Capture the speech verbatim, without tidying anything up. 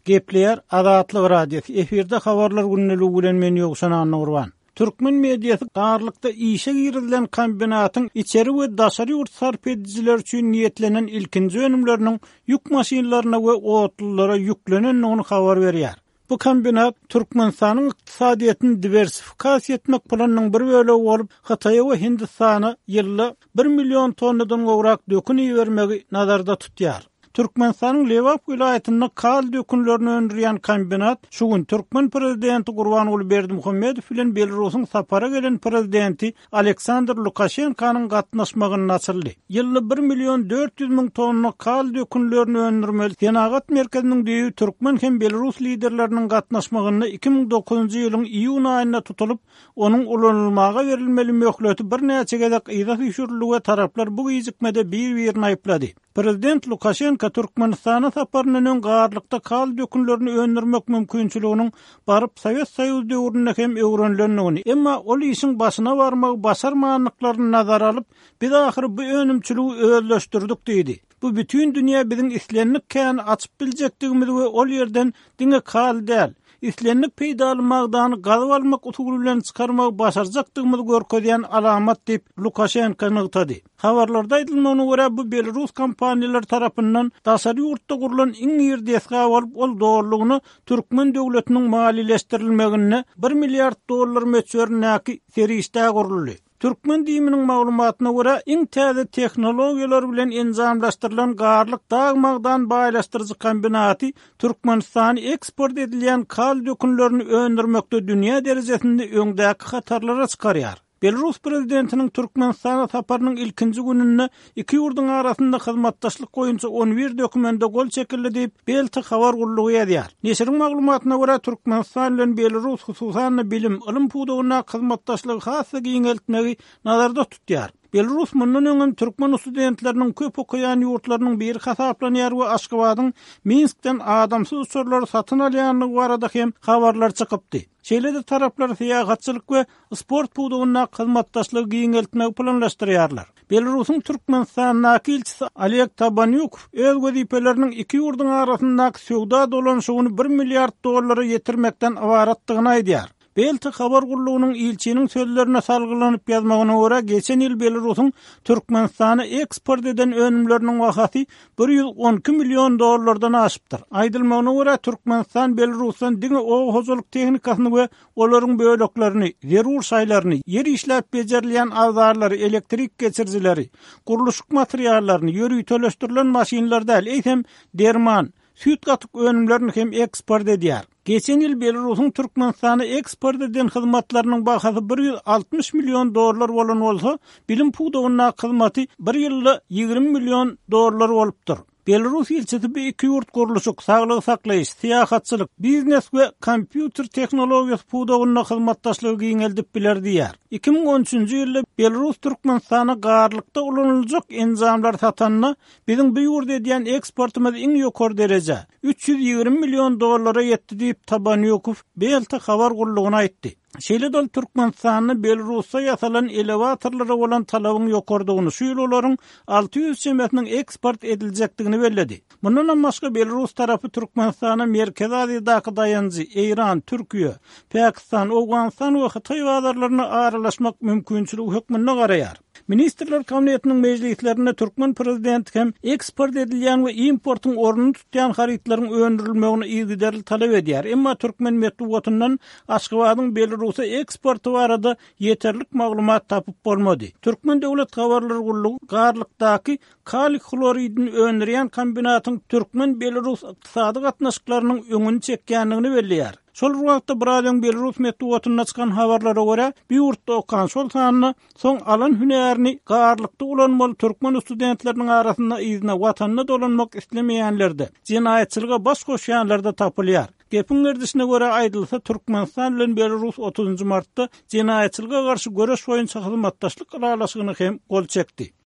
Gepleýär Azatlyk Radiosy. Efirde habarlar gündeligi bilen men Ýowşan Annagurban. Türkmen mediasy Garlykda işe girizilen kombinatyň içeri we daşary ýurt sarp edijiler üçin niýetlenen ilkinji önümleriniň ýük maşynlaryna we otlulara ýüklenendigini habar berýär. Bu kombinat Türkmenistanyň ykdysadyýetini diwersifikasiýa etmek planynyň bir bölegi bolup, Hytaýa we Hindistana ýylda bir million tonnadan gowrak dökün ibermegi nazarda tutýar. Türkmenistanyň Lebap welaýatynda kal dökünlerini öndürýän kombinat şu gün türkmen prezidenti Gurbanguly Berdimuhamedow bilen Belarusyň sapara gelen prezidenti Aleksandr Lukaşenkonyň gatnaşmagynda açyldy. Ýylda bir million dört ýüz müň tonna kal dökünlerini öndürmeli senagat merkeziniň düýbi türkmen hem Belarus liderleriniň gatnaşmagynda iki müň dokuzynjy ýylyň iýun aýynda tutulyp, onuň ulanylmaga berilmeli möhleti birnäçe gezek yza süýşürildi we taraplar bu gijikmede bir-birini aýyplady. Prezident Lukaşenko Türkmenistana saparyndan öň Garlykda kal dökünlerini öndürmek mümkinçiliginiň baryp Sowet Soýuzy döwründe hem öwrenilendigini, emma ol işiň başyna barmagy başarmandyklaryny nazara alyp, biz ahyry bu önümçiligi özleşdirdik diýdi. Bu bütün dünýä biziň islendik käni açyp biljekdigimizi we ol ýerden diňe kal däl, islendik peýdaly magdany gazyp almak usuly bilen çykarmagy başarjakdygymyzy görkezýän alamat diýip Lukaşenko nygtady. Habarlarda aýdylmagyna görä, bu Belarus kompaniýalary tarapyndan daşary ýurtda gurlan iň iri desga bolup, ol dolulygyna türkmen döwletiniň maliýeleşdirilmeginde bir milliard dollar möçberindäki serişdä guruldy. Türkmen diýiminiň maglumatyna görä, iň täze tehnologiýalar bilen enjamlaşdyrylan Garlyk dag magdan baýlaşdyryjy kombinaty Türkmenistany eksport edilýän kal dökünlerini öndürmekde dünýä derejesinde öňdäki hatarlara çykarýar. Belarus prezidentiniň Türkmenistana saparynyň ilkinji gününde iki ýurduň arasynda hyzmatdaşlyk boýunça on bir dokumenta gol çekildi diýip, Belta habar gullugy ýazýar. Neşiriň maglumatyna görä, Türkmenistan bilen Belarus hususan bilim, ylym pudagyndaky hyzmatdaşlygy has-da giňeltmegi nazarda tutýar. Belarus mundan öňem türkmen studentleriniň köp okaýan ýurtlarynyň biri hasaplanýar we Aşgabadyň Minskden adamsyz uçarlary satyn alýandygy barada hem habarlar çykypdy. Şeýle-de taraplar syýahatçylyk we sport pudagyndaky hyzmatdaşlygy giňeltmegi planlaşdyrýarlar. Belarusyň Türkmenistandaky ilçisi Oleg Tabanýukow öz wezipeleriniň iki ýurduň arasyndaky söwda dolanyşygyny bir milliard dollara ýetirmekden ybaratdygyny aýdýar. Belta habar gullugynyň ilçiniň sözlerine salgylanyp ýazmagyna görä, geçen ýyl Belarusyň Türkmenistana eksport eden önümleriniň bahasy bir ýüz on iki million dollardan aşypdyr. Aýdylmagyna görä, Türkmenistan Belarusdan diňe oba hojalyk tehnikasyny we olaryň böleklerini, zerur şaýlaryny, ýer işläp bejerilýän abzarlary, elektrik geçirijileri, gurluşyk materiallaryny, ýöriteleşdirilen maşynlar däl, eýsem derman, süýt gatyk önümlerini hem eksport edýär. Geçen ýyl Belarusyň Türkmenistana eksport eden hyzmatlarynyň bahasy bir ýüz altmyş million dollar bolan bolsa, bilim pudagyndaky hyzmaty bir ýylda ýigrimi million dollar bolupdyr. Belarus ilçisi bu iki ýurt gurluşyk, saglygy saklaýyş, syýahatçylyk, biznes we kompýuter tehnologiýasy pudagynda hyzmatdaşlygy giňeldip biler diýär. iki müň on üçünji ýylda Belarus Türkmenistana Garlykda ulanyljak enjamlar satanda biziň bu ýurda edýän eksportymyz iň ýokary dereje üç ýüz ýigrimi million dollara ýetdi diýip Tabanýukow Belta habar gullugyna aýtdy. Şeýle-de ol Türkmenistanda Belarusda ýasalan elewatorlara bolan talabyň ýokardygyny, şu ýyl olaryň alty ýüz çemesiniň eksport ediljekdigini belledi. Mundan hem başga Belarus tarapy Türkmenistana Merkezi Aziýadaky daýanjy Eýran, Türkiýe, Pakistan, Owganystan we Hytaý bazarlaryna aralaşmak mümkinçiligi hökmünde garaýar. Ministrler Kabinetiniň mejlislerinde türkmen prezidenti hem eksport edilýän we importyň ornuny tutýan harytlaryň öndürilmegini yzygiderli talap edýär. Emma türkmen metbugatyndan Aşgabadyň Belarusa eksporty barada ýeterlik maglumat tapyp bolmady. Türkmen döwlet habarlar gullugy Garlykdaky kaliý hloridini öndürýän kombinatyň türkmen-belarus ykdysady gatnaşyklarynyň öňüni çekýändigini belleýär. Şol bir wagtda biraz öň Belarus metbugatynda çykan habarlara görä, bu ýurtda okan şol sanda soň alan hünärini Garlykda ulanmaly türkmen studentleriniň arasynda yzyna watanyna dolanmak islemeýänlerde, jenaýatçylyga baş goşýanlarda tapylýar. Gepiň gerdişine görä aýdylsa, Türkmenistan bilen Belarus otuzynjy martda jenaýatçylyga garşy göreş boýunça hyzmatdaşlyk ylalaşygyny hem gol çekdi.